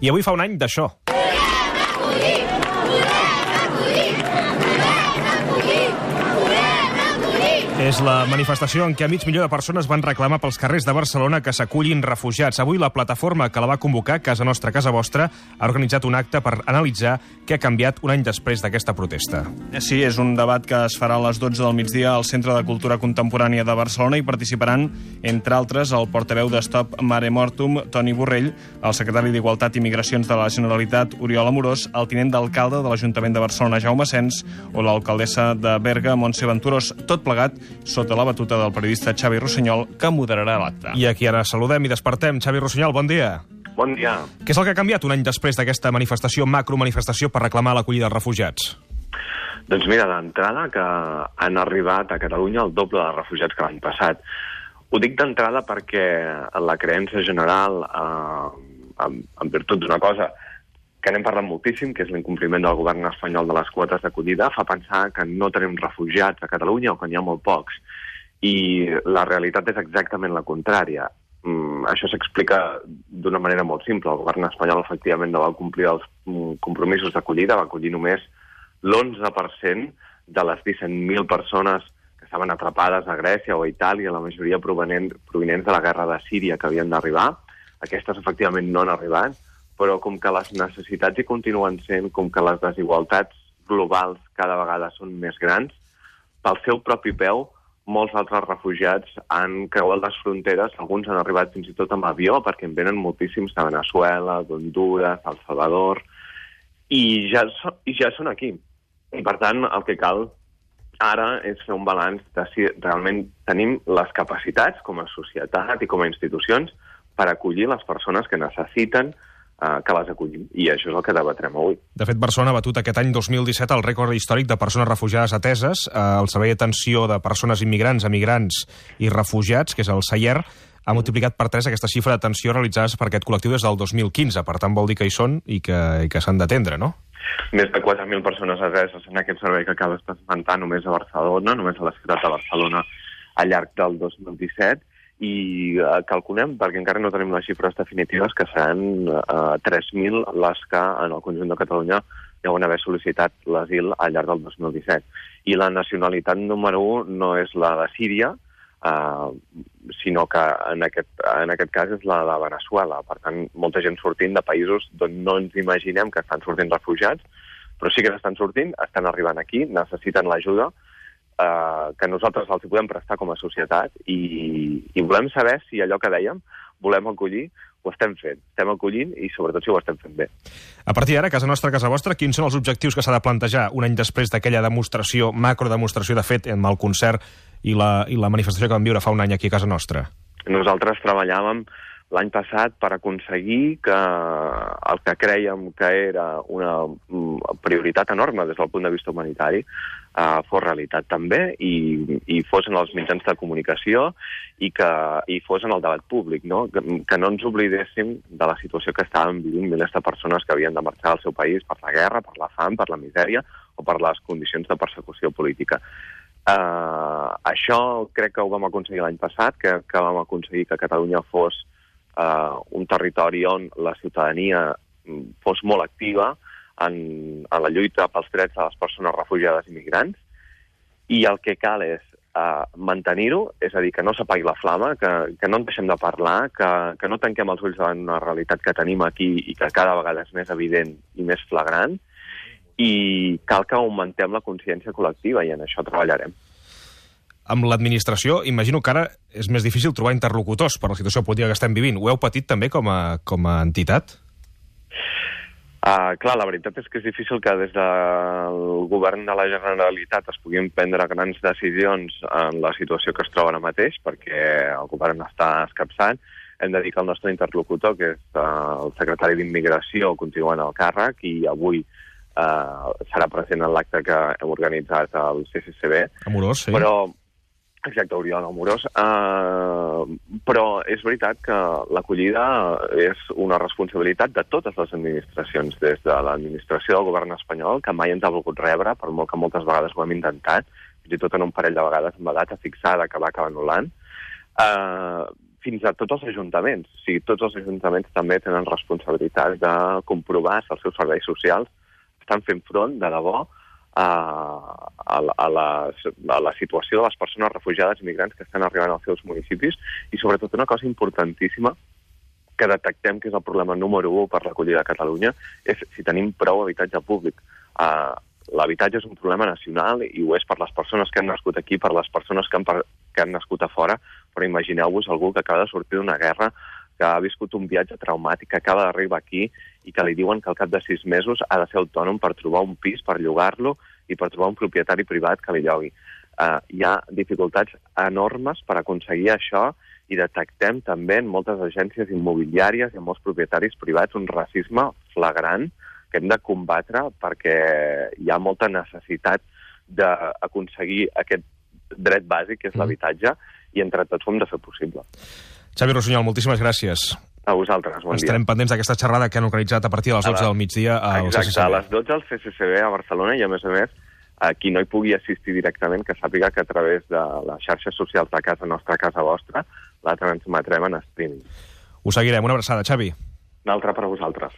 I avui fa un any d'això. És la manifestació en què mig milió de persones van reclamar pels carrers de Barcelona que s'acullin refugiats. Avui la plataforma que la va convocar, Casa Nostra, Casa Vostra, ha organitzat un acte per analitzar què ha canviat un any després d'aquesta protesta. Sí, és un debat que es farà a les 12 del migdia al Centre de Cultura Contemporània de Barcelona i participaran, entre altres, el portaveu de Stop Mare Mortum, Toni Borrell, el secretari d'Igualtat i Migracions de la Generalitat, Oriol Amorós, el tinent d'alcalde de l'Ajuntament de Barcelona, Jaume Sens, o l'alcaldessa de Berga, Montse Venturós, tot plegat sota la batuta del periodista Xavi Rossinyol, que moderarà l'acte. I aquí ara saludem i despertem. Xavi Rossinyol, bon dia. Bon dia. Què és el que ha canviat un any després d'aquesta manifestació, macromanifestació, per reclamar l'acollida dels refugiats? Doncs mira, d'entrada que han arribat a Catalunya el doble de refugiats que l'any passat. Ho dic d'entrada perquè la creença general, en virtut d'una cosa que n'hem parlat moltíssim, que és l'incompliment del govern espanyol de les quotes d'acollida, fa pensar que no tenim refugiats a Catalunya o que n'hi ha molt pocs. I la realitat és exactament la contrària. Això s'explica d'una manera molt simple. El govern espanyol efectivament no va complir els compromisos d'acollida, va acollir només l'11% de les 17.000 persones que estaven atrapades a Grècia o a Itàlia, la majoria provenents de la guerra de Síria que havien d'arribar. Aquestes efectivament no han arribat, però com que les necessitats hi continuen sent, com que les desigualtats globals cada vegada són més grans, pel seu propi peu, molts altres refugiats han creuat les fronteres, alguns han arribat fins i tot amb avió, perquè en venen moltíssims de Veneçuela, d'Honduras, El Salvador, i ja són aquí. I per tant, el que cal ara és fer un balanç de si realment tenim les capacitats com a societat i com a institucions per acollir les persones que necessiten que les acollim. I això és el que debatrem avui. De fet, Barcelona ha batut aquest any 2017 el rècord històric de persones refugiades ateses. El Servei d'Atenció de Persones Immigrants, Emigrants i Refugiats, que és el SAIER, ha multiplicat per 3 aquesta xifra d'atenció realitzades per aquest col·lectiu des del 2015. Per tant, vol dir que hi són i que s'han d'atendre, no? Més de 4.000 persones ateses en aquest servei que acabes d'esmentar només a Barcelona, només a la ciutat de Barcelona al llarg del 2017, i calculem, perquè encara no tenim les xifres definitives, que seran 3.000 les que en el conjunt de Catalunya deuen haver sol·licitat l'asil al llarg del 2017. I la nacionalitat número 1 no és la de Síria, sinó que en aquest cas és la de Veneçuela. Per tant, molta gent sortint de països d'on no ens imaginem que estan sortint refugiats, però sí que estan sortint, estan arribant aquí, necessiten l'ajuda, que nosaltres els podem prestar com a societat i volem saber si allò que dèiem, volem acollir, ho estem fent. Estem acollint i sobretot si ho estem fent bé. A partir d'ara, Casa Nostra, Casa Vostra, quins són els objectius que s'ha de plantejar un any després d'aquella demostració, macrodemostració de fet, amb el concert i la manifestació que vam viure fa un any aquí a Casa Nostra? Nosaltres treballàvem l'any passat per aconseguir que el que crèiem que era una prioritat enorme des del punt de vista humanitari fos realitat també i fos en els mitjans de comunicació i fos en el debat públic, no? Que no ens oblidéssim de la situació que estàvem vivint milers de persones que havien de marxar del seu país per la guerra, per la fam, per la misèria o per les condicions de persecució política. Això crec que ho vam aconseguir l'any passat, que vam aconseguir que Catalunya fos un territori on la ciutadania fos molt activa en la lluita pels drets de les persones refugiades i migrants, i el que cal és mantenir-ho, és a dir, que no s'apagui la flama, que no en deixem de parlar, que no tanquem els ulls davant una realitat que tenim aquí i que cada vegada és més evident i més flagrant, i cal que augmentem la consciència col·lectiva, i en això treballarem. Amb l'administració, imagino que ara és més difícil trobar interlocutors per la situació política que estem vivint. Ho heu patit també com a entitat? Clar, la veritat és que és difícil que des del govern de la Generalitat es puguin prendre grans decisions en la situació que es troba ara mateix, perquè el govern està escapçat. Hem de dir que el nostre interlocutor, que és el secretari d'Immigració, continua en el càrrec i avui serà present en l'acte que hem organitzat al CCCB. Amorós, sí. Exacte, Oriol Amorós. Però és veritat que l'acollida és una responsabilitat de totes les administracions, des de l'administració del govern espanyol, que mai ens ha volgut rebre, per molt que moltes vegades ho hem intentat, fins i tot en un parell de vegades amb la data fixada que va acabar anul·lant, fins a tots els ajuntaments. O sigui, tots els ajuntaments també tenen responsabilitat de comprovar si els seus serveis socials estan fent front, de debò, a la situació de les persones refugiades i migrants que estan arribant als seus municipis, i sobretot una cosa importantíssima que detectem que és el problema número 1 per l'acollida a Catalunya és si tenim prou habitatge públic. L'habitatge és un problema nacional i ho és per les persones que han nascut aquí, per les persones que han nascut a fora, però imagineu-vos algú que acaba de sortir d'una guerra, que ha viscut un viatge traumàtic, que acaba d'arribar aquí i que li diuen que al cap de 6 mesos ha de ser autònom per trobar un pis, per llogar-lo i per trobar un propietari privat que li llogui. Hi ha dificultats enormes per aconseguir això i detectem també en moltes agències immobiliàries i en molts propietaris privats un racisme flagrant que hem de combatre perquè hi ha molta necessitat d'aconseguir aquest dret bàsic, que és l'habitatge, i entre tots ho hem de fer possible. Xavi Rossinyol, moltíssimes gràcies. A vosaltres, bon dia. Estarem pendents d'aquesta xerrada que han organitzat a partir de les 12 del migdia al CCCB. Exacte, a les 12 al CCCB a Barcelona, i a més, qui no hi pugui assistir directament, que sàpiga que a través de les xarxes socials de Casa Nostra, Casa Vostra, la transmetrem en streaming. Ho seguirem. Una abraçada, Xavi. Una altra per a vosaltres.